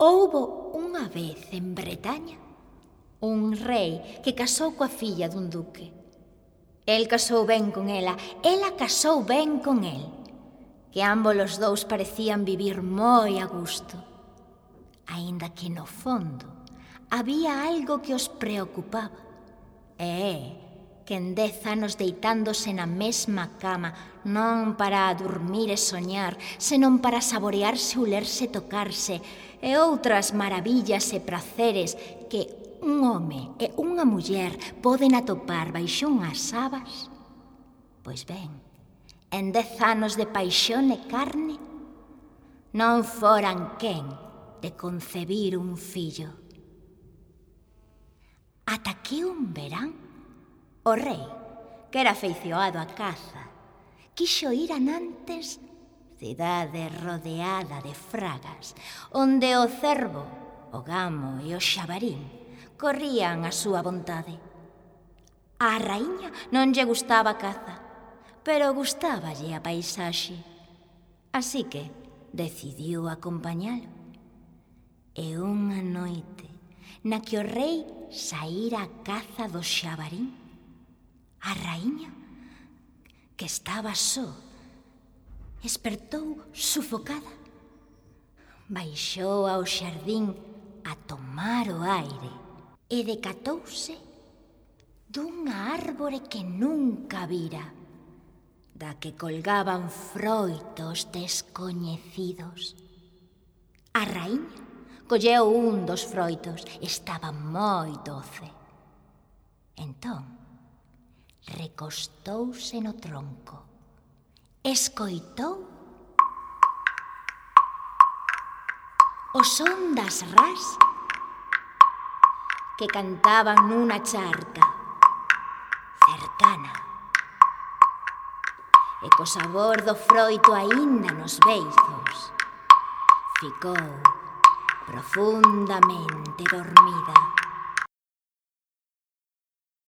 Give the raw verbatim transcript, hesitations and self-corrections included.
Houbo unha vez en Bretaña un rei que casou coa filla dun duque. El casou ben con ela, ela casou ben con el, que ambos os dous parecían vivir moi a gusto. Aínda que no fondo había algo que os preocupaba, e é que en dez anos deitándose na mesma cama, non para dormir e soñar, senón para saborearse, ulerse, tocarse, e outras maravillas e praceres que un home e unha muller poden atopar baixo unhas sabas. Pois ben, en dez anos de paixón e carne, non foran quen de concebir un fillo. Ata que un verán, o rei, que era afeicionado á caza, quixo ir a Nantes, cidade rodeada de fragas, onde o cervo, o gamo e o xabarín corrían a súa vontade. Á raíña non lle gustaba a caza, pero gustáballe a paisaxe. Así que decidiu acompañalo. E unha noite, na que o rei saíra a caza do xabarín, a raíña, que estaba só, espertou sufocada. Baixou ao xardín a tomar o aire e decatouse dunha árbore que nunca vira, da que colgaban froitos descoñecidos. A raíña colleu un dos froitos, estaba moi doce. Entón, recostouse no tronco, escoitou o son das ras que cantaban nunha charca cercana, e co sabor do froito aínda nos beizos, ficou profundamente dormida.